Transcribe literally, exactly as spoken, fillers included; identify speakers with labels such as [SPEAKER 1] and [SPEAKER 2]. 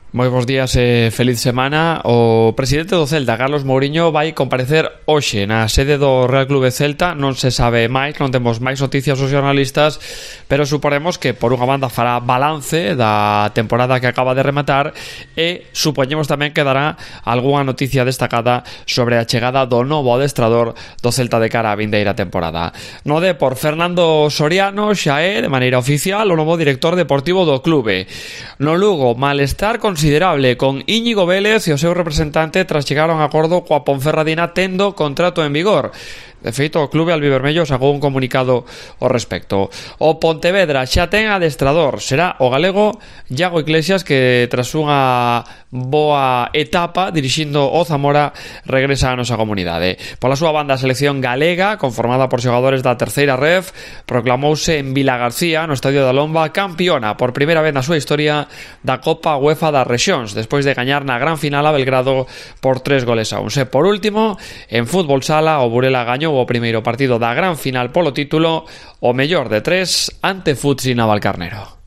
[SPEAKER 1] Moi bons días e feliz semana. O presidente do Celta, Carlos Mouriño, vai comparecer hoxe na sede do Real Clube Celta. Non se sabe máis, non temos máis noticias aos xornalistas, pero suponemos que por unha banda fará balance da temporada que acaba de rematar e supoñemos tamén que dará algunha noticia destacada sobre a chegada do novo adestrador do Celta de cara á vindeira temporada. No de por Fernando Soriano xa é, de maneira oficial, o novo director deportivo do clube. No Lugo, malestar considerable con Íñigo Vélez e o seu representante tras chegar a un acordo coa Ponferradina tendo contrato en vigor. De feito, o clube albivermello sacou un comunicado ao respecto. O Pontevedra xa ten adestrador. Será o galego Iago Iglesias, que tras unha boa etapa dirixindo o Zamora regresa á nosa comunidade. Pola súa banda, a selección galega, conformada por xogadores da terceira ref, proclamouse en Vilagarcía, no Estadio da Lomba, campiona por primeira vez na súa historia da Copa UEFA das Rexións, despois de gañar na gran final a Belgrado por tres goles a un. E por último, en fútbol sala, o Burela gañou o primeiro partido da gran final polo título, o mellor de tres ante Futsi Navalcarnero.